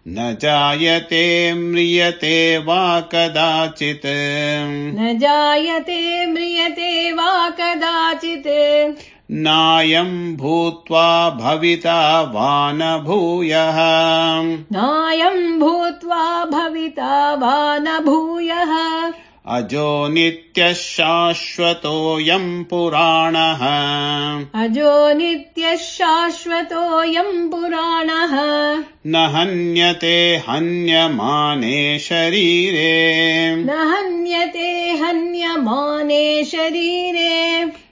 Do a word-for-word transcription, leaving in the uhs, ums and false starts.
न जायते म्रियते वा कदाचित् न जायते म्रियते वा कदाचित् नायं भूत्वा भविता वा न भूयः नायं भूत्वा भविता वा न भूयः अजो नित्यः शाश्वतोऽयं पुराणः अजो नित्यः शाश्वतोऽयं पुराणः न हन्यते हन्यमाने शरीरे न हन्यते हन्यमाने शरीरे